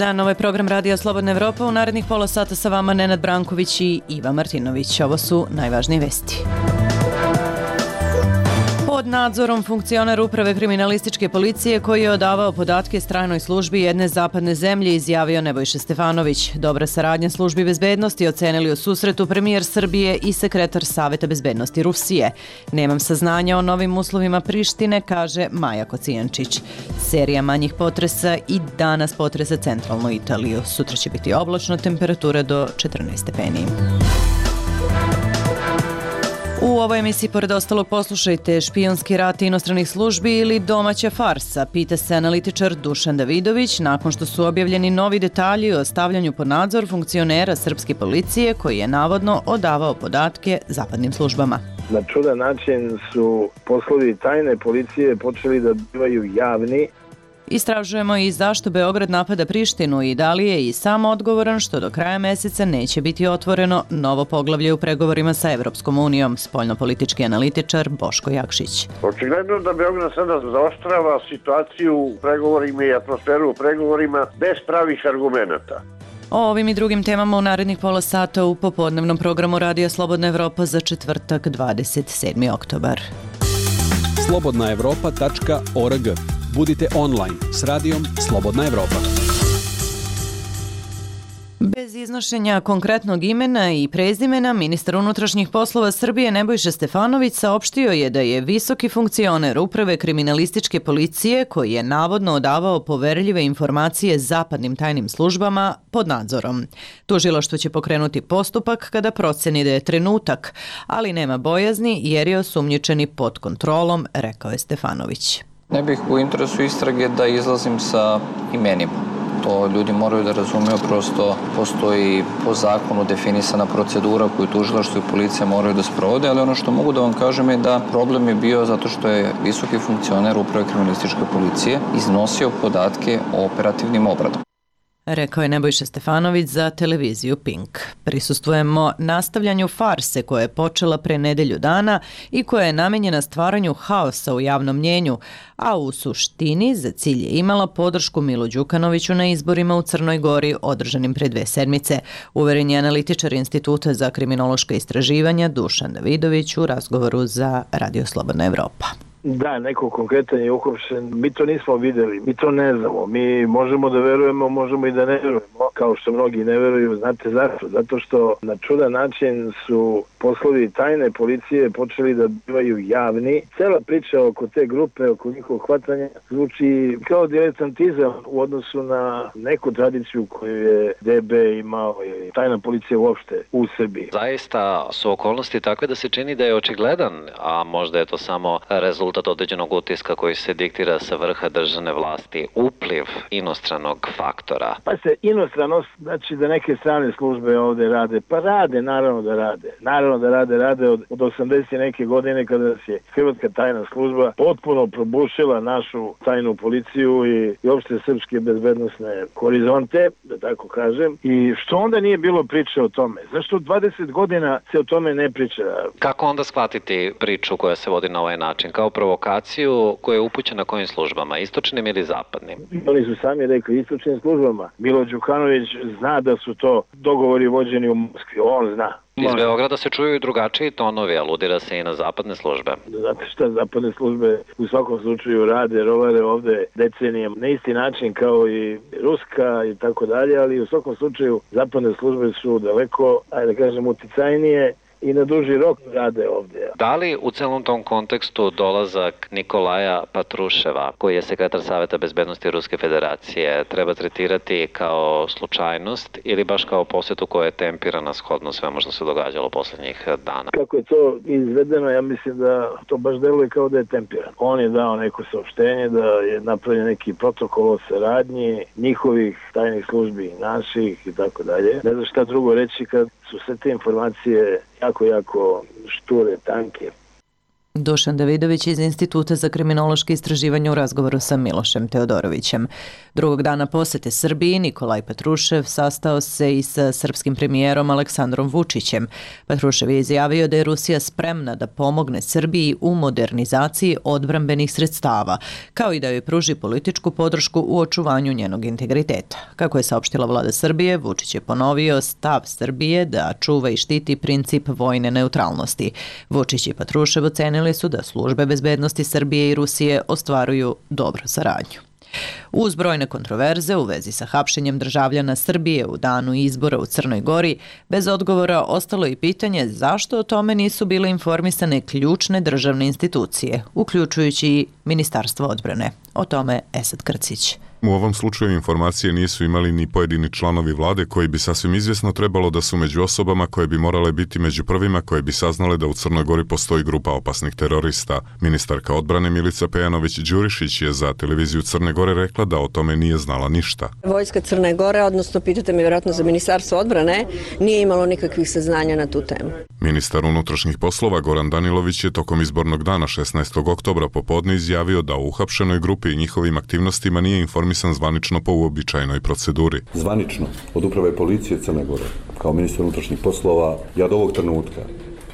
dan, ovo je program Radija Slobodna Evropa. U narednih pola sata sa vama Nenad Branković i Iva Martinović. Ovo su najvažnije vesti. Pod nadzorom funkcioner Uprave kriminalističke policije koji je odavao podatke stranoj službi jedne zapadne zemlje, izjavio Nebojša Stefanović. Dobra saradnja službi bezbednosti ocenili u susretu premijer Srbije i sekretar Saveta bezbednosti Rusije. Nemam saznanja o novim uslovima Prištine, kaže Maja Kocijančić. Serija manjih potresa i danas potresa centralnu Italiju. Sutra će biti oblačno, temperatura do 14 stepeni. U ovoj emisiji, pored ostalog, poslušajte špijunski rat inostranih službi ili domaća farsa, pita se analitičar Dušan Davidović nakon što su objavljeni novi detalji o stavljanju pod nadzor funkcionera srpske policije koji je navodno odavao podatke zapadnim službama. Na čudan način su poslovi tajne policije počeli da bivaju javni. Istražujemo i zašto Beograd napada Prištinu i da li je i sam odgovoran što do kraja meseca neće biti otvoreno novo poglavlje u pregovorima sa Evropskom unijom, spoljnopolitički analitičar Boško Jakšić. Očigledno da Beograd sada zaoštrava situaciju u pregovorima i atmosferu u pregovorima bez pravih argumenata. O ovim i drugim temama u narednih pola sata u popodnevnom programu Radija Slobodna Evropa za četvrtak 27. oktobar. slobodnaevropa.org. Budite online s radijom Slobodna Evropa. Bez iznošenja konkretnog imena i prezimena, ministar unutrašnjih poslova Srbije Nebojša Stefanović saopštio je da je visoki funkcioner Uprave kriminalističke policije koji je navodno odavao poverljive informacije zapadnim tajnim službama pod nadzorom. Tužilaštvo će pokrenuti postupak kada proceni da je trenutak, ali nema bojazni jer je osumnjičeni pod kontrolom, rekao je Stefanović. Ne bih u interesu istrage da izlazim sa imenima. To ljudi moraju da razumiju, prosto postoji po zakonu definisana procedura koju tužilaštvo i policija moraju da sprovode, ali ono što mogu da vam kažem je da problem je bio zato što je visoki funkcioner Uprave kriminalističke policije iznosio podatke o operativnim obradama. Rekao je Nebojša Stefanović za televiziju Pink. Prisustvujemo nastavljanju farse koja je počela pre nedelju dana i koja je namenjena stvaranju haosa u javnom mnjenju, a u suštini za cilj je imala podršku Milu Đukanoviću na izborima u Crnoj Gori održanim pre 2 sedmice, uveren je analitičar Instituta za kriminološka istraživanja Dušan Davidović u razgovoru za Radio Slobodna Evropa. Da, neko konkretan je uhapšen, mi to nismo videli, mi to ne znamo, mi možemo da verujemo, možemo i da ne verujemo, kao što mnogi ne veruju, znate zašto? Zato što na čudan način su poslovi tajne policije počeli da bivaju javni. Cela priča oko te grupe, oko njihovog hvatanja, zvuči kao diletantizam u odnosu na neku tradiciju koju je DB imao ili tajna policija uopšte u Srbiji. Zaista su okolnosti takve da se čini da je očigledan, a možda je to samo rezultat određenog utiska koji se diktira sa vrha državne vlasti, upliv inostranog faktora. Pa se inostranost, znači da neke strane službe ovde rade, pa rade, naravno da rade. Naravno da rade od 80 neke godine kada se hrvatska tajna služba potpuno probušila našu tajnu policiju i uopšte srpske bezbednosne horizonte, da tako kažem. I što onda nije bilo priče o tome? Zašto 20 godina se o tome ne priča? Kako onda shvatiti priču koja se vodi na ovaj način? Kao provokaciju koja je upućena kojim službama, istočnim ili zapadnim? Oni su sami rekli istočnim službama. Milo Đukanović zna da su to dogovori vođeni u Moskvi, on zna. Iz Beograda se čuju i drugačiji tonovi, aludira se i na zapadne službe. Znate šta, zapadne službe u svakom slučaju rade, rovare ovde decenijama na isti način kao i ruska i tako dalje, ali u svakom slučaju zapadne službe su daleko, ajde da kažem, uticajnije i na duži rok rade ovdje. Da li u celom tom kontekstu dolazak Nikolaja Patruševa, koji je sekretar Saveta bezbednosti Ruske federacije, treba tretirati kao slučajnost ili baš kao posjetu koja je tempirana shodno svemu što se događalo poslednjih dana? Kako je to izvedeno, ja mislim da to baš deluje kao da je tempirano. On je dao neko saopštenje da je napravljen neki protokol o saradnji njihovih tajnih službi, naših i tako dalje. Ne znam šta drugo reći kad su sve te informacije jako šture, tanke. Dušan Davidović iz Instituta za kriminološke istraživanje u razgovoru sa Milošem Teodorovićem. Drugog dana posete Srbiji Nikolaj Patrušev sastao se i sa srpskim premijerom Aleksandrom Vučićem. Patrušev je izjavio da je Rusija spremna da pomogne Srbiji u modernizaciji odbrambenih sredstava, kao i da joj pruži političku podršku u očuvanju njenog integriteta. Kako je saopštila vlada Srbije, Vučić je ponovio stav Srbije da čuva i štiti princip vojne neutralnosti. Vučić i Patrušev ocenili su da službe bezbednosti Srbije i Rusije ostvaruju dobru saradnju. Uz brojne kontroverze u vezi sa hapšenjem državljana Srbije u danu izbora u Crnoj Gori, bez odgovora ostalo i pitanje zašto o tome nisu bile informisane ključne državne institucije, uključujući i Ministarstvo odbrane. O tome Esad Krcić. U ovom slučaju informacije nisu imali ni pojedini članovi vlade koji bi sasvim izvjesno trebalo da su među osobama koje bi morale biti među prvima koje bi saznale da u Crnoj Gori postoji grupa opasnih terorista. Ministarka odbrane Milica Pejanović-Đurišić je za televiziju Crne Gore rekla da o tome nije znala ništa. Vojska Crne Gore, odnosno pitate me vjerojatno za Ministarstvo odbrane, nije imalo nikakvih saznanja na tu temu. Ministar unutrašnjih poslova Goran Danilović je tokom izbornog dana 16. oktobra popodne izjavio da u uhapšenoj grupi i njihovim aktivnostima nije informisan zvanično po uobičajenoj proceduri. Zvanično od uprave policije Crne Gore, kao ministar unutrašnjih poslova, ja do ovog trenutka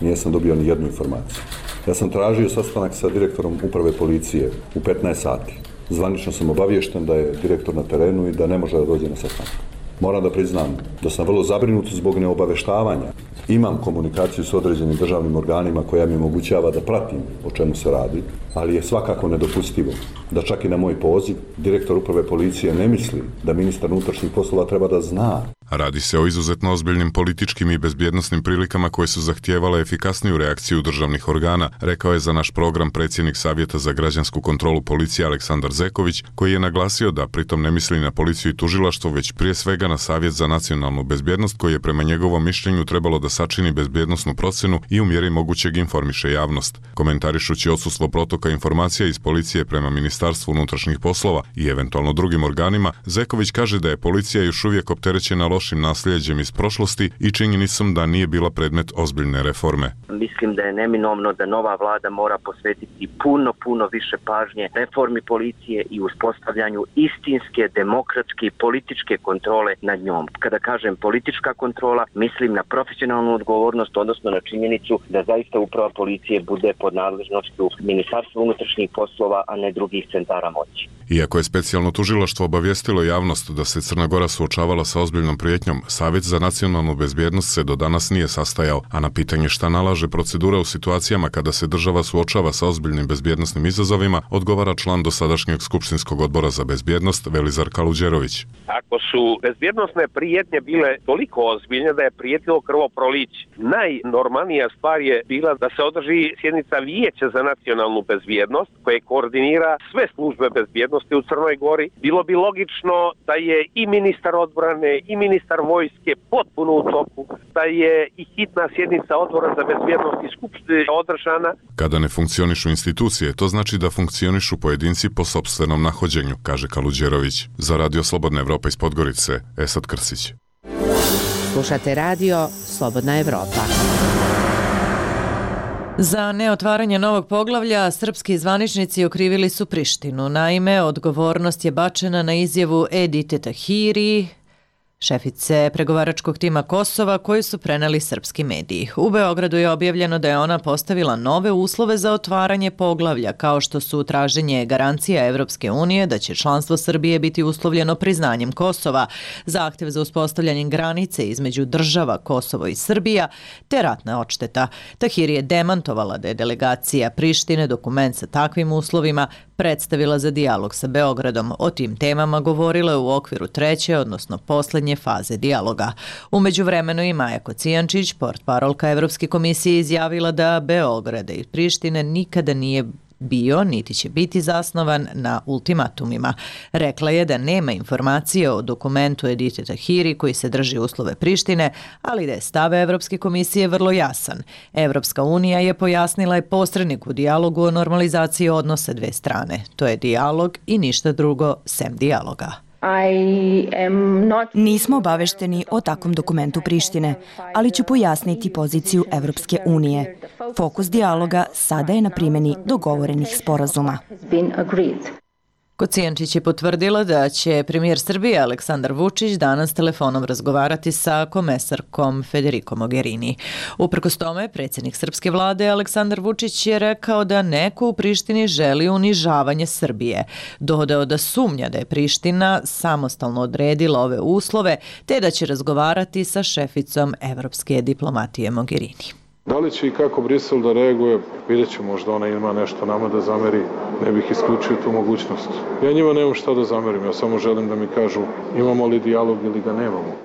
nisam dobio ni jednu informaciju. Ja sam tražio sastanak sa direktorom uprave policije u 15 sati. Zvanično sam obaviješten da je direktor na terenu i da ne može da dođe na sastanak. Moram da priznam da sam vrlo zabrinut zbog neobaveštavanja. Imam komunikaciju s određenim državnim organima koja mi omogućava da pratim o čemu se radi, ali je svakako nedopustivo da čak i na moj poziv direktor uprave policije ne misli da ministar unutrašnjih poslova treba da zna. Radi se o izuzetno ozbiljnim političkim i bezbjednosnim prilikama koje su zahtijevale efikasniju reakciju državnih organa, rekao je za naš program predsjednik Savjeta za građansku kontrolu policije Aleksandar Zeković, koji je naglasio da pritom ne misli na policiju i tužilaštvo, već prije svega na Savjet za nacionalnu bezbjednost, koji je prema njegovom mišljenju trebalo da sačini bezbjednosnu procenu i u mjeri mogućeg informiše javnost. Komentarišući odsustvo protoka informacija iz policije prema Ministarstvu unutrašnjih poslova i eventualno drugim organima, Zeković kaže da je policija još uvijek opterećena lošim nasljeđem iz prošlosti i činjenicom da nije bila predmet ozbiljne reforme. Mislim da je neminovno da nova vlada mora posvetiti puno više pažnje reformi policije i uspostavljanju istinske, demokratske i političke kontrole nad njom. Kada kažem politička kontrola, mislim na profesionalnu odgovornost, odnosno na činjenicu da zaista uprava policije bude pod nadležnošću Ministarstva unutrašnjih poslova, a ne drugih centara moći. Iako je specijalno tužilaštvo obavijestilo javnost da se Crna Gora suočavala sa ozbiljnom prijetnjom, Savjet za nacionalnu bezbjednost se do danas nije sastajao, a na pitanje šta nalaže procedura u situacijama kada se država suočava sa ozbiljnim bezbjednosnim izazovima, odgovara član dosadašnjeg skupštinskog odbora za bezbjednost Velizar Kaluđerović. Ako su bezbjednosne prijetnje bile toliko ozbiljne da je prijetilo krvoproliće, najnormalnija stvar je bila da se održi sjednica Vijeća za nacionalnu bezbjednost koje koordinira sve službe bezbjednosti u Crnoj Gori. Bilo bi logično da je i ministar odbrane i ministar vojske potpuno u toku, da je i hitna sjednica odbora za bezbjednost i skupštine održana. Kada ne funkcionišu institucije, to znači da funkcionišu pojedinci po sopstvenom nahođenju, kaže Kaluđerović. Za Radio Slobodna Evropa iz Podgorice, Esad Krsić. Slušate radio Slobodna Evropa. Za neotvaranje novog poglavlja srpski zvaničnici okrivili su Prištinu. Naime, odgovornost je bačena na izjavu Edite Tahiri, šefice pregovaračkog tima Kosova, koju su preneli srpski mediji. U Beogradu je objavljeno da je ona postavila nove uslove za otvaranje poglavlja, kao što su traženje garancija Evropske unije da će članstvo Srbije biti uslovljeno priznanjem Kosova, zahtev za uspostavljanje granice između država Kosovo i Srbija, te ratna odšteta. Tahiri je demantovala da je delegacija Prištine dokument sa takvim uslovima predstavila za dijalog sa Beogradom. O tim temama govorila je u okviru treće, odnosno poslednje faze dijaloga. U međuvremenu i Maja Kocijančić, portparolka Evropske komisije, izjavila da Beograd i Prištine nikada nije bio, niti će biti zasnovan na ultimatumima. Rekla je da nema informacije o dokumentu Edite Tahiri koji se drži uslove Prištine, ali da je stav Evropske komisije vrlo jasan. Evropska unija je pojasnila je posrednik u dijalogu o normalizaciji odnosa dve strane. To je dijalog i ništa drugo sem dijaloga. Nismo obavešteni o takvom dokumentu Prištine, ali ću pojasniti poziciju Evropske unije. Fokus dijaloga sada je na primjeni dogovorenih sporazuma. Kocijančić je potvrdila da će premijer Srbije Aleksandar Vučić danas telefonom razgovarati sa komesarkom Federico Mogherini. Uprkos tome, predsjednik srpske vlade Aleksandar Vučić je rekao da neko u Prištini želi unižavanje Srbije. Dodao da sumnja da je Priština samostalno odredila ove uslove, te da će razgovarati sa šeficom evropske diplomatije Mogherini. Da li će i kako Brisel da reaguje, vidjet ću, možda ona ima nešto nama da zameri, ne bih isključio tu mogućnost. Ja njima nemam šta da zamerim, ja samo želim da mi kažu imamo li dijalog ili ga nemamo.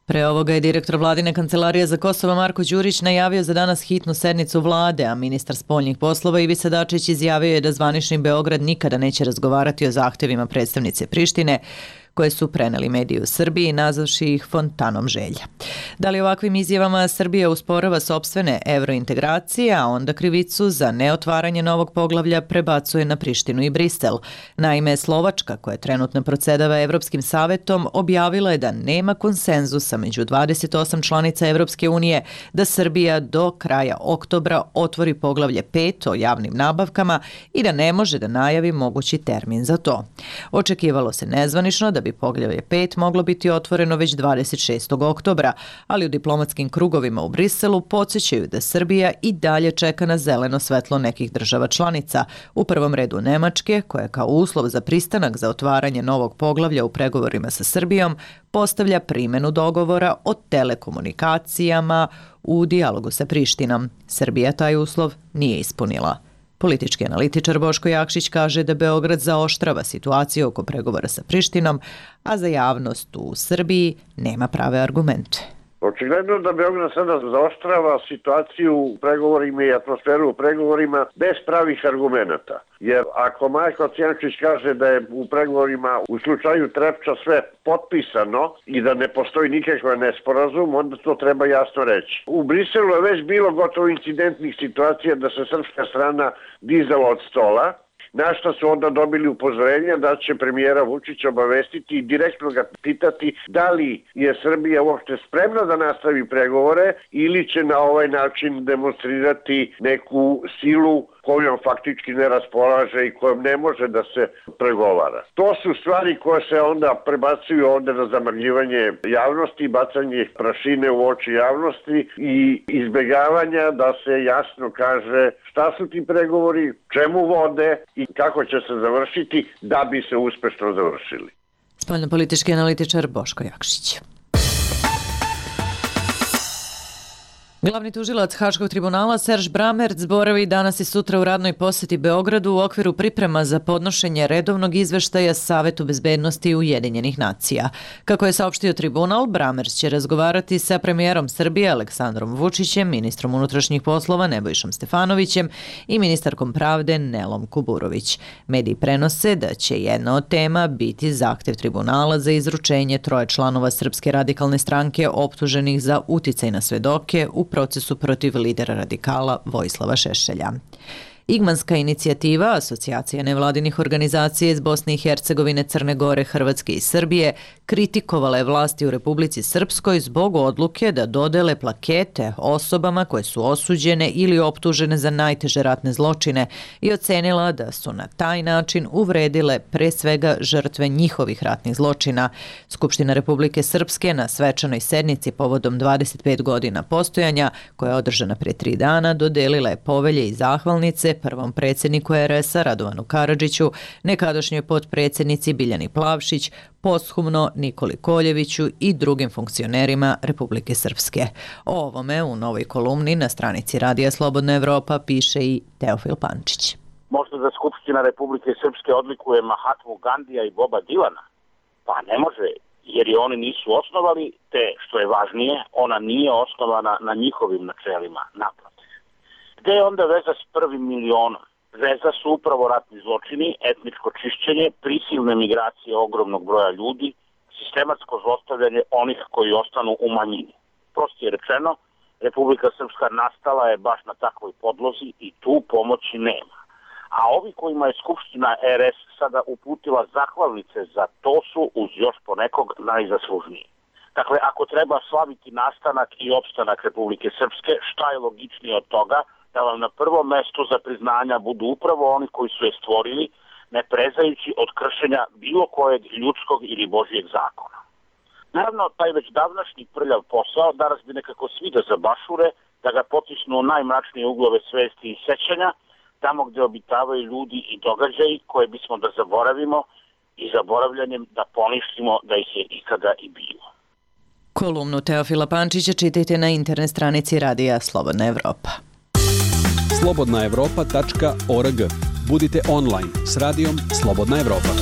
Pre ovoga je direktor vladine kancelarije za Kosovo Marko Đurić najavio za danas hitnu sednicu vlade, a ministar spoljnih poslova Ivica Dačić izjavio je da zvanični Beograd nikada neće razgovarati o zahtevima predstavnice Prištine, koje su preneli mediji u Srbiji, nazavši ih fontanom želja. Da li ovakvim izjavama Srbija usporava sopstvene evrointegracije, a onda krivicu za neotvaranje novog poglavlja prebacuje na Prištinu i Brisel? Naime, Slovačka, koja trenutno procedava Evropskim savetom, objavila je da nema konsenzusa među 28 članica Evropske unije da Srbija do kraja oktobra otvori poglavlje 5 o javnim nabavkama i da ne može da najavi mogući termin za to. Očekivalo se nezvanično da bi poglavlje 5 moglo biti otvoreno već 26. oktobra, ali u diplomatskim krugovima u Briselu podsjećaju da Srbija i dalje čeka na zeleno svetlo nekih država članica, u prvom redu Nemačke, koja kao uslov za pristanak za otvaranje novog poglavlja u pregovorima sa Srbijom postavlja primjenu dogovora o telekomunikacijama u dijalogu sa Prištinom. Srbija taj uslov nije ispunila. Politički analitičar Boško Jakšić kaže da Beograd zaoštrava situaciju oko pregovora sa Prištinom, a za javnost u Srbiji nema prave argumente. Očigledno da Beograd sada zaoštrava situaciju u pregovorima i atmosferu u pregovorima bez pravih argumenata. Jer ako Marko Kocijančić kaže da je u pregovorima u slučaju Trepča sve potpisano i da ne postoji nikakav nesporazum, onda to treba jasno reći. U Briselu je već bilo gotovo incidentnih situacija da se srpska strana dizala od stola, na što su onda dobili upozorenja da će premijera Vučića obavestiti i direktno ga pitati da li je Srbija uopšte spremna da nastavi pregovore ili će na ovaj način demonstrirati neku silu kojom faktički ne raspolaže i kojom ne može da se pregovara. To su stvari koje se onda prebacuju ovde na zamrljivanje javnosti, bacanje prašine u oči javnosti i izbjegavanja da se jasno kaže šta su ti pregovori, čemu vode i kako će se završiti da bi se uspešno završili. Spoljnopolitički analitičar Boško Jakšić. Glavni tužilac Haškog tribunala Serž Bramerc boravi danas i sutra u radnoj posjeti Beogradu u okviru priprema za podnošenje redovnog izveštaja Savetu bezbednosti Ujedinjenih nacija. Kako je saopštio tribunal, Bramerc će razgovarati sa premijerom Srbije Aleksandrom Vučićem, ministrom unutrašnjih poslova Nebojšom Stefanovićem i ministarkom pravde Nelom Kuburović. Mediji prenose da će jedna od tema biti zahtev tribunala za izručenje 3 članova Srpske radikalne stranke optuženih za uticaj na svedoke u procesu protiv lidera radikala Vojislava Šešelja. Igmanska inicijativa, asocijacija nevladinih organizacija iz Bosne i Hercegovine, Crne Gore, Hrvatske i Srbije, kritikovala je vlasti u Republici Srpskoj zbog odluke da dodele plakete osobama koje su osuđene ili optužene za najteže ratne zločine i ocenila da su na taj način uvredile pre svega žrtve njihovih ratnih zločina. Skupština Republike Srpske na svečanoj sednici povodom 25 godina postojanja, koja je održana pre 3 dana, dodelila je povelje i zahvalnice prvom predsjedniku RS-a Radovanu Karadžiću, nekadašnjoj potpredsjednici Biljani Plavšić, posthumno Nikoli Koljeviću i drugim funkcionerima Republike Srpske. O ovome u novoj kolumni na stranici Radija Slobodna Evropa piše i Teofil Pančić. Možda da Skupština Republike Srpske odlikuje Mahatmu Gandija i Boba Dilana? Pa ne može, jer je oni nisu osnovali, te što je važnije, ona nije osnovana na njihovim načelima, naprotiv. Gde je onda veza s 1. milionom? Veza su upravo ratni zločini, etničko čišćenje, prisilne migracije ogromnog broja ljudi, sistematsko zlostavljanje onih koji ostanu u manjini. Prosto je rečeno, Republika Srpska nastala je baš na takvoj podlozi i tu pomoći nema. A ovi kojima je Skupština RS sada uputila zahvalnice za to su uz još ponekog najzaslužniji. Dakle, ako treba slaviti nastanak i opstanak Republike Srpske, šta je logičnije od toga da vam na prvom mestu za priznanja budu upravo oni koji su je stvorili, ne prezajući od kršenja bilo kojeg ljudskog ili božjeg zakona. Naravno, taj već davnašnji prljav posao danas bi nekako svi da zabašure, da ga potisnu u najmračnije uglove svesti i sećanja, tamo gde obitavaju ljudi i događaji koje bismo da zaboravimo i zaboravljanjem da poništimo da ih je ikada i bilo. Kolumnu Teofila Pančića čitajte na internet stranici Radija Slobodna Evropa. slobodnaevropa.org. Budite online s Radijom Slobodna Evropa.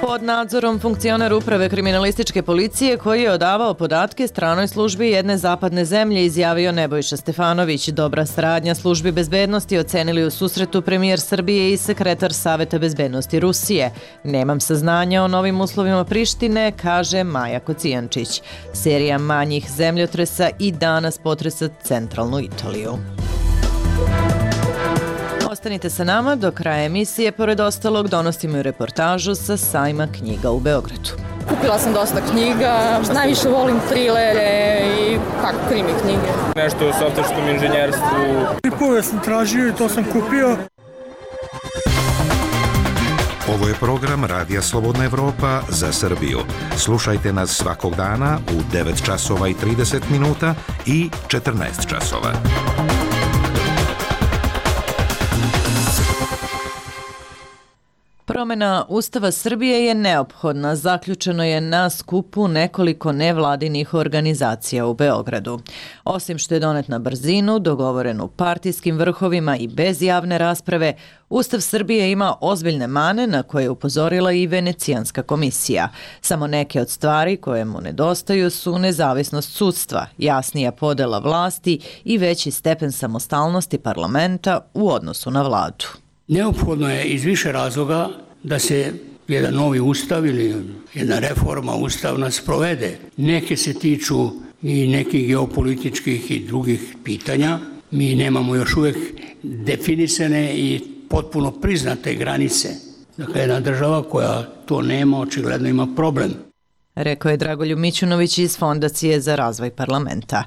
Pod nadzorom funkcioner uprave kriminalističke policije koji je odavao podatke stranoj službi jedne zapadne zemlje, izjavio Nebojša Stefanović. Dobra saradnja službi bezbednosti ocenili u susretu premijer Srbije i sekretar Saveta bezbednosti Rusije. Nemam saznanja o novim uslovima Prištine, kaže Maja Kocijančić. Serija manjih zemljotresa i danas potresa centralnu Italiju. Ostanite sa nama, do kraja emisije, pored ostalog, donosimo i reportažu sa sajma knjiga u Beogradu. Kupila sam dosta knjiga, najviše volim trilere i krimi knjige. Nešto o softverskom inženjerstvu. Tipove sam tražio i to sam kupio. Ovo je program Radija Slobodna Evropa za Srbiju. Slušajte nas svakog dana u 9 časova i 30 minuta i 14 časova. Promena Ustava Srbije je neophodna, zaključeno je na skupu nekoliko nevladinih organizacija u Beogradu. Osim što je donet na brzinu, dogovoren u partijskim vrhovima i bez javne rasprave, Ustav Srbije ima ozbiljne mane na koje je upozorila i Venecijanska komisija. Samo neke od stvari koje mu nedostaju su nezavisnost sudstva, jasnija podela vlasti i veći stepen samostalnosti parlamenta u odnosu na vladu. Neophodno je iz više razloga da se jedan novi ustav ili jedna reforma ustavna sprovede. Neke se tiču i nekih geopolitičkih i drugih pitanja. Mi nemamo još uvijek definisane i potpuno priznate granice. Dakle, jedna država koja to nema, očigledno ima problem. Rekao je Dragoljub Mićunović iz Fondacije za razvoj parlamenta.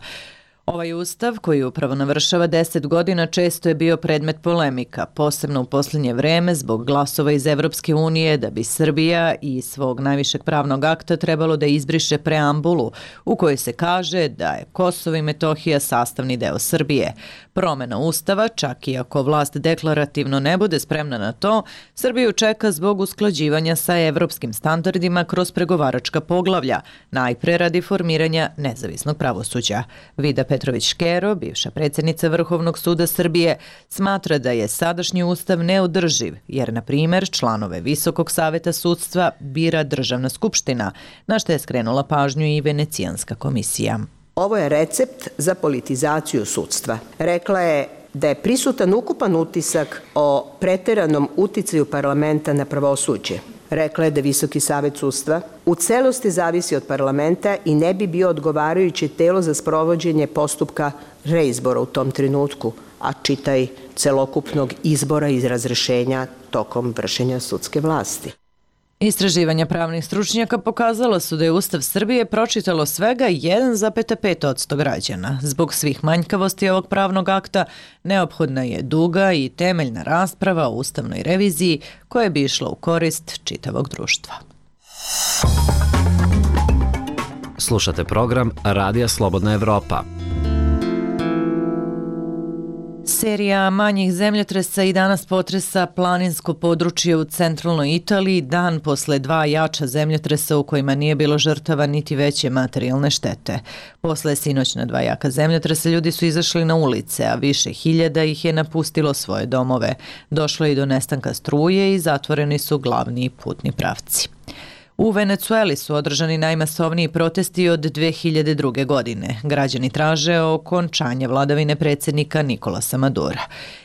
Ovaj ustav, koji upravo navršava 10 godina, često je bio predmet polemika, posebno u posljednje vreme zbog glasova iz Evropske unije da bi Srbija iz svog najvišeg pravnog akta trebalo da izbriše preambulu u kojoj se kaže da je Kosovo i Metohija sastavni deo Srbije. Promena ustava, čak i ako vlast deklarativno ne bude spremna na to, Srbiju čeka zbog usklađivanja sa evropskim standardima kroz pregovaračka poglavlja, najpre radi formiranja nezavisnog pravosuđa. Vida Petrović-Škero, bivša predsjednica Vrhovnog suda Srbije, smatra da je sadašnji ustav neodrživ, jer, na primjer, članove Visokog saveta sudstva bira Državna skupština, na što je skrenula pažnju i Venecijanska komisija. Ovo je recept za politizaciju sudstva. Rekla je da je prisutan ukupan utisak o preteranom uticaju parlamenta na pravosuđe. Rekla je da Visoki savet sudstva u celosti zavisi od parlamenta i ne bi bio odgovarajuće telo za sprovođenje postupka reizbora u tom trenutku, a čitaj celokupnog izbora i razrešenja tokom vršenja sudske vlasti. Istraživanja pravnih stručnjaka pokazala su da je Ustav Srbije pročitalo svega 1,5% građana. Zbog svih manjkavosti ovog pravnog akta neophodna je duga i temeljna rasprava o ustavnoj reviziji koja bi išla u korist čitavog društva. Slušate program Radija Slobodna Evropa. Serija manjih zemljotresa i danas potresa planinsko područje u centralnoj Italiji, dan posle 2 jača zemljotresa u kojima nije bilo žrtava niti veće materijalne štete. Posle sinoćna 2 jaka zemljotresa ljudi su izašli na ulice, a više hiljada ih je napustilo svoje domove. Došlo je i do nestanka struje i zatvoreni su glavni putni pravci. U Venecueli su održani najmasovniji protesti od 2002. godine. Građani traže okončanje vladavine predsjednika Nikolasa Madura.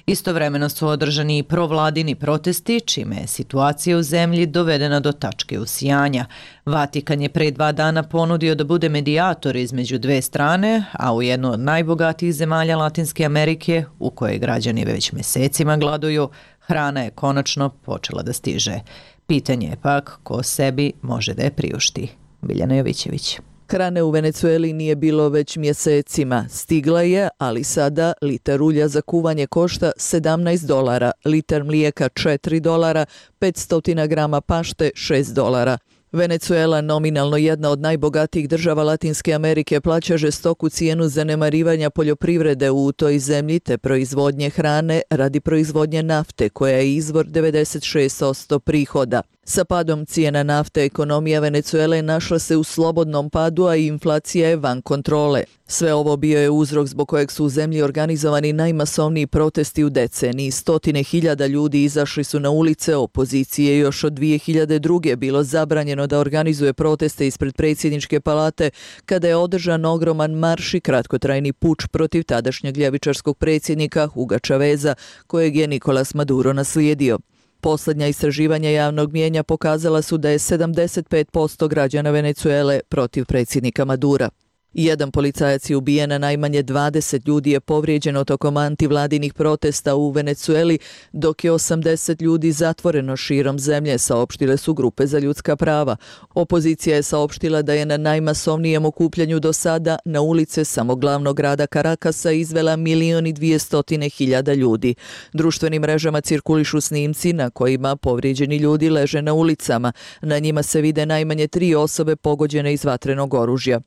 Istovremeno su održani i provladini protesti, čime je situacija u zemlji dovedena do tačke usijanja. Vatikan je pre 2 dana ponudio da bude medijator između dve strane, a u jednu od najbogatijih zemalja Latinske Amerike, u kojoj građani već mesecima gladuju, hrana je konačno počela da stiže. Pitanje je pak ko sebi može da je priušti. Biljana Jovićević. Hrane u Venecueli nije bilo već mjesecima. Stigla je, ali sada litar ulja za kuvanje košta $17, litar mlijeka $4, 500 grama pašte $6. Venecuela, nominalno jedna od najbogatijih država Latinske Amerike, plaća žestoku cijenu zanemarivanja poljoprivrede u toj zemlji te proizvodnje hrane radi proizvodnje nafte, koja je izvor 96% prihoda. Sa padom cijena nafte ekonomija Venecuele našla se u slobodnom padu, a inflacija je van kontrole. Sve ovo bio je uzrok zbog kojeg su u zemlji organizovani najmasovniji protesti u deceniji. 100.000 ljudi izašli su na ulice, opozicije još od 2002. bilo zabranjeno da organizuje proteste ispred predsjedničke palate kada je održan ogroman marš i kratkotrajni puč protiv tadašnjeg ljevičarskog predsjednika Huga Chaveza, kojeg je Nicolas Maduro naslijedio. Posljednja istraživanja javnog mijenja pokazala su da je 75% građana Venecuele protiv predsjednika Madura. Jedan policajac je ubijen, a najmanje 20 ljudi je povrijeđeno tokom antivladinih protesta u Venecueli, dok je 80 ljudi zatvoreno širom zemlje, saopštile su grupe za ljudska prava. Opozicija je saopštila da je na najmasovnijem okupljanju do sada na ulice samo glavnog grada Karakasa izvela 1.200.000 ljudi. Društvenim mrežama cirkulišu snimci na kojima povrijeđeni ljudi leže na ulicama. Na njima se vide najmanje 3 osobe pogođene iz vatrenog oružja.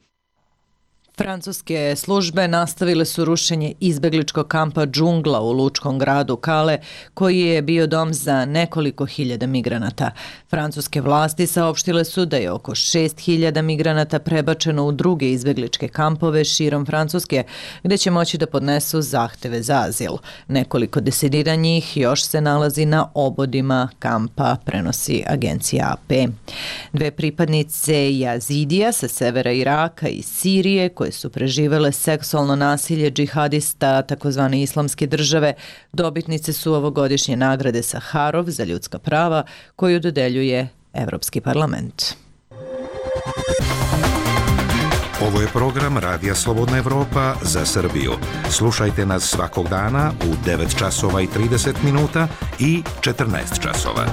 Francuske službe nastavile su rušenje izbegličkog kampa Džungla u lučkom gradu Kale, koji je bio dom za nekoliko hiljada migranata. Francuske vlasti saopštile su da je oko 6.000 migranata prebačeno u druge izbegličke kampove širom Francuske, gdje će moći da podnesu zahteve za azil. Nekoliko desetina njih još se nalazi na obodima kampa, prenosi agencija AP. 2 pripadnice Jazidija sa severa Iraka i Sirije, koje su preživele seksualno nasilje džihadista takozvane islamske države, dobitnice su ovogodišnje nagrade Saharov za ljudska prava koju dodeljuje Evropski parlament. Ovo je program Radija Slobodna Evropa za Srbiju. Slušajte nas svakog dana u 9 časova i 30 minuta i 14 časova.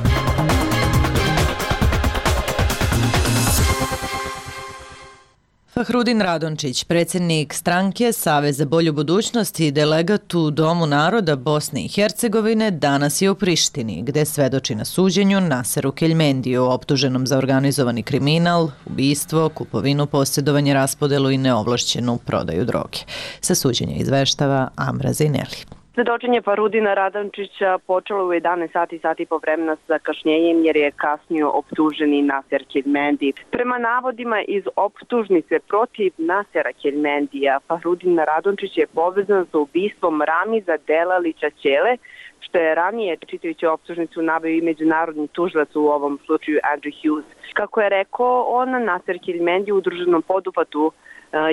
Fahrudin Radončić, predsjednik stranke Savez za bolju budućnost i delegat u Domu naroda Bosne i Hercegovine, danas je u Prištini, gde svedoči na suđenju Naseru Keljmendiju, optuženom za organizovani kriminal, ubistvo, kupovinu, posjedovanje, raspodelu i neovlašćenu prodaju droge. Sa suđenja izveštava Amra Zineli. Svedočenje Fahrudina Radončića počelo u 11 sati po vremena sa zakašnjenjem jer je kasnio optuženi Naser Keljmendi. Prema navodima iz optužnice protiv Nasera Keljmendija, Fahrudin Radončić je povezan sa ubistvom Ramiza Delalića Ćele, što je ranije, čitajući optužnicu, naveo i međunarodni tužilac, u ovom slučaju Andrew Hughes. Kako je rekao on, Naser Keljmendi u udruženom poduhvatu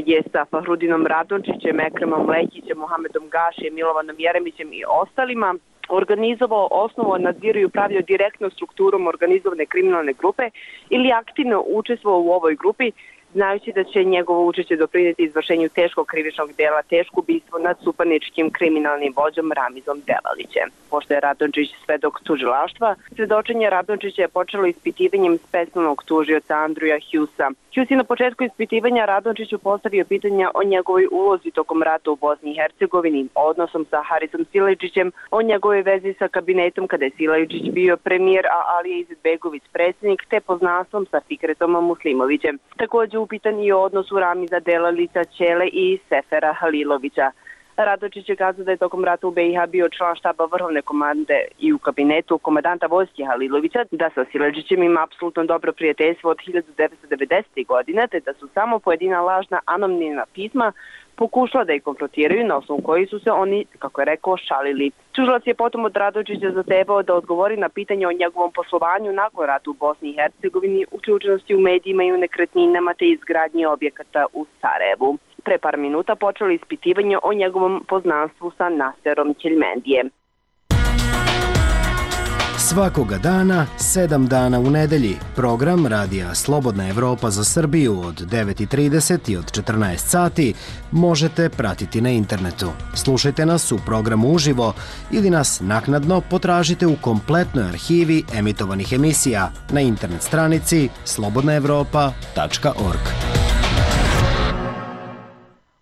je sa Fahrudinom Radončićem, Ekremom Lekićem, Mohamedom Gašijem, Milovanom Jeremićem i ostalima organizovao, osnovao, nadzirao i upravljao direktno strukturom organizovane kriminalne grupe ili aktivno učestvovao u ovoj grupi, znajući da će njegovo učešće doprinijeti izvršenju teškog krivičnog dela, teško ubistvo nad supaničkim kriminalnim vođom Ramizom Delalićem. Pošto je Radončić svedok tužilaštva, svedočenje Radončića je počelo ispitivanjem specijalnog tužioca Andrewa Hughesa. Hughes je na početku ispitivanja Radončiću postavio pitanja o njegovoj ulozi tokom rata u Bosni i Hercegovini, odnosom sa Harisom Silajdžićem, o njegovoj vezi sa kabinetom kada je Silajdžić bio premijer, a Alija Izetbegović predsjednik, te poznanstvom sa Fikretom Muslimovićem. Također upitan i o odnosu Ramiza Delalića Ćele i Sefera Halilovića. Radončić je kazao da je tokom rata u BiH bio član štaba vrhovne komande i u kabinetu komandanta vojske Halilovića, da sa Silajdžićem ima apsolutno dobro prijateljstvo od 1990. godine, te da su samo pojedina lažna anonimna pisma pokušala da ih konfrontiraju, na osnovu koji su se oni, kako je rekao, šalili. Tužilac je potom od Radojičića zahtevao da odgovori na pitanje o njegovom poslovanju nakon rata u Bosni i Hercegovini, uključenosti u medijima i u nekretninama te izgradnji objekata u Sarajevu. Pre par minuta počelo ispitivanje o njegovom poznanstvu sa Naserom Ćeljmendijem. Svakoga dana, 7 dana u nedelji, program Radija Slobodna Evropa za Srbiju od 9:30 i od 14 sati možete pratiti na internetu. Slušajte nas u programu uživo ili nas naknadno potražite u kompletnoj arhivi emitovanih emisija na internet stranici slobodnaevropa.org.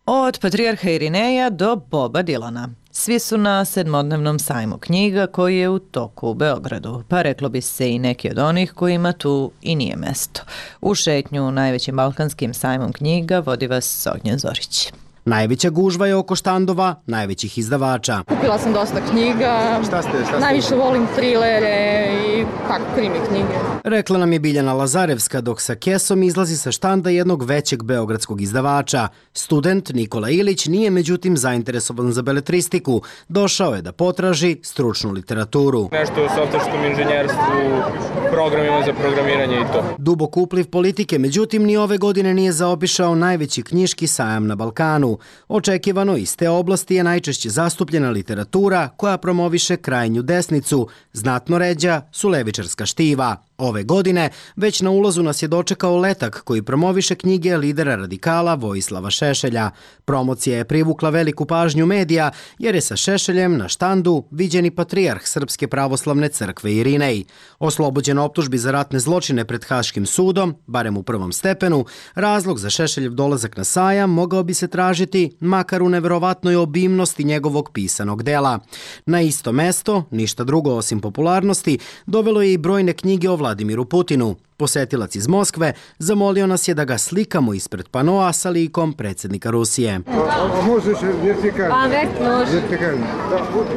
Od Patrijarha Irineja do Boba Dilana. Svi su na 7-dnevnom sajmu knjiga koji je u toku u Beogradu, pa reklo bi se i neki od onih kojima tu i nije mesto. U šetnju najvećim balkanskim sajmom knjiga vodi vas Ognjen Zorić. Najveća gužva je oko štandova najvećih izdavača. Kupila sam dosta knjiga. Šta ste? Najviše volim trilere i krimi knjige. Rekla nam je Biljana Lazarevska dok sa kesom izlazi sa štanda jednog većeg beogradskog izdavača. Student Nikola Ilić nije međutim zainteresovan za beletristiku. Došao je da potraži stručnu literaturu. Nešto u softverskom inženjerstvu, programima za programiranje i to. Dubok upliv politike, međutim, ni ove godine nije zaobišao najveći knjiški sajam na Balkanu. Očekivano iz te oblasti je najčešće zastupljena literatura koja promoviše krajnju desnicu, znatno ređa su levičarska štiva. Ove godine već na ulazu nas je dočekao letak koji promoviše knjige lidera radikala Vojislava Šešelja. Promocija je privukla veliku pažnju medija jer je sa Šešeljem na štandu viđeni patrijarh Srpske pravoslavne crkve Irinej. Oslobođen optužbi za ratne zločine pred Haškim sudom, barem u prvom stepenu, razlog za Šešeljev dolazak na sajam mogao bi se tražiti makar u neverovatnoj obimnosti njegovog pisanog dela. Na isto mesto, ništa drugo osim popularnosti, dovelo je i brojne knjige o Vladimiru Putinu. Posetilac iz Moskve zamolio nas je da ga slikamo ispred panoa sa likom predsjednika Rusije.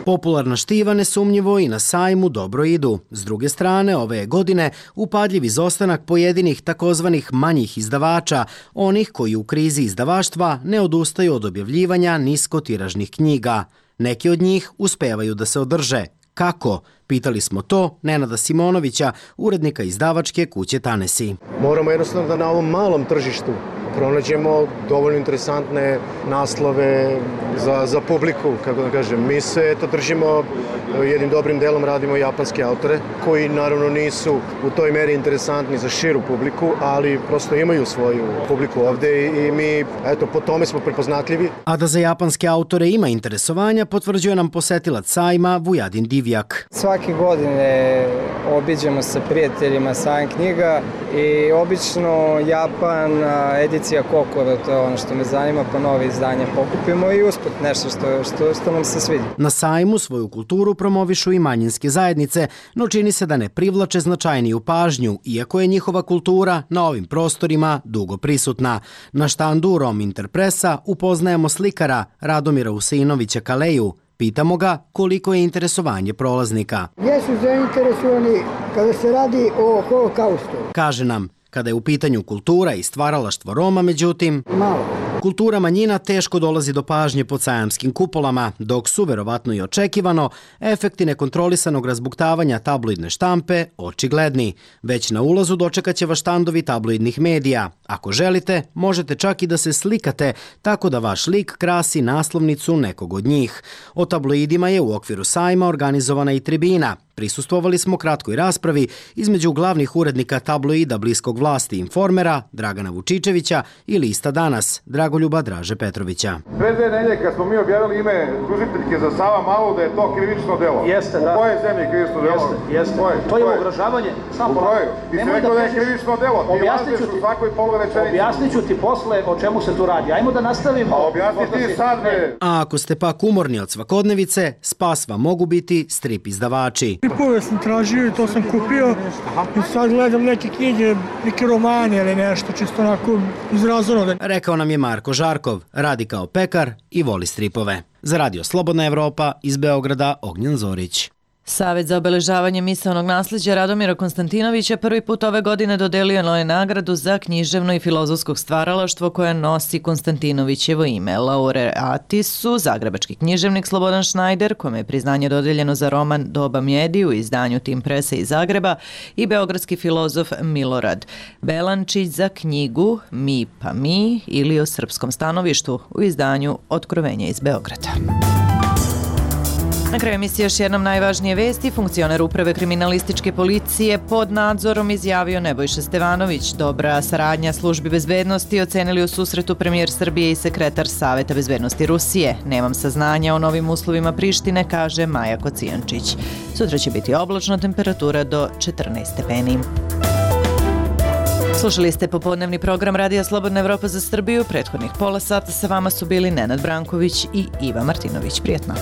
Popularna štiva nesumnjivo i na sajmu dobro idu. S druge strane, ove godine upadljiv izostanak pojedinih takozvanih manjih izdavača, onih koji u krizi izdavaštva ne odustaju od objavljivanja niskotiražnih knjiga. Neki od njih uspevaju da se održe. Kako? Pitali smo to Nenada Simonovića, urednika izdavačke kuće Tanesi. Moramo jednostavno da na ovom malom tržištu pronađemo dovoljno interesantne naslove za publiku, kako da kažem. Mi se držimo jednim dobrim delom, radimo japanske autore, koji naravno nisu u toj meri interesantni za širu publiku, ali prosto imaju svoju publiku ovde i mi, po tome smo prepoznatljivi. A da za japanske autore ima interesovanja, potvrđuje nam posetilac sajma Vujadin Divjak. Svake godine obiđemo sa prijateljima sajam knjiga i obično Japan, edicija Kokoro, to je ono što me zanima, pa nove izdanje pokupimo i usput nešto što nam se svidi. Na sajmu svoju kulturu promovišu i manjinske zajednice, no čini se da ne privlače značajniju pažnju, iako je njihova kultura na ovim prostorima dugo prisutna. Na štandu Rom Interpresa upoznajemo slikara Radomira Usinovića Kaleju. Pitamo ga koliko je interesovanje prolaznika. Jesu zainteresovani kada se radi o holokaustu. Kaže nam, kada je u pitanju kultura i stvaralaštvo Roma, međutim, kultura manjina teško dolazi do pažnje pod sajamskim kupolama, dok su, verovatno i očekivano, efekti nekontrolisanog razbuktavanja tabloidne štampe očigledni. Već na ulazu dočekat će vas štandovi tabloidnih medija. Ako želite, možete čak i da se slikate, tako da vaš lik krasi naslovnicu nekog od njih. O tabloidima je u okviru sajma organizovana i tribina. Prisustvovali smo kratkoj raspravi između glavnih urednika tabloida bliskog vlasti Informera, Dragana Vučičevića i lista Danas, Dragoljuba Draže Petrovića. Pre 2 nedelje kad smo mi objavili ime tužiteljke za Savamalu da je to krivično delo. Jeste, da. U kojoj zemlji je krivično delo? Jeste. To je ugrožavanje. U kojoj? Ti si rekao da je krivično delo. Ti lažeš u svakoj polurečenici. Objasnit ću ti posle o čemu se tu radi. Ajmo da nastavimo. A objasni ti sad, bre. A ako ste pak umorni od svakodnevice, spas vam mogu biti strip izdavači. Stripove sam tražio i to sam kupio i sad gledam neke knjige, neke romane ili nešto, čisto onako izrazano. Rekao nam je Marko Žarkov, radi kao pekar i voli stripove. Za Radio Slobodna Evropa iz Beograda, Ognjen Zorić. Savet za obeležavanje misaonog nasleđa Radomira Konstantinovića prvi put ove godine dodelio je nagradu za književno i filozofsko stvaralaštvo koja nosi Konstantinovićevo ime. Laureati su zagrebački književnik Slobodan Šnajder, kome je priznanje dodeljeno za roman Doba mjedi u izdanju Tim Presa iz Zagreba, i beogradski filozof Milorad Belančić za knjigu Mi pa mi ili o srpskom stanovištu u izdanju Otkrovenje iz Beograda. Na kraju emisije još jednom najvažnije vesti. Funkcioner uprave kriminalističke policije pod nadzorom izjavio Nebojša Stevanović. Dobra saradnja službi bezbednosti ocenili u susretu premijer Srbije i sekretar Saveta bezbednosti Rusije. Nemam saznanja o novim uslovima Prištine, kaže Maja Kocijančić. Sutra će biti oblačno, temperatura do 14 stepeni. Slušali ste popodnevni program Radija Slobodna Evropa za Srbiju. Prethodnih pola sata sa vama su bili Nenad Branković i Iva Martinović. Prijetno.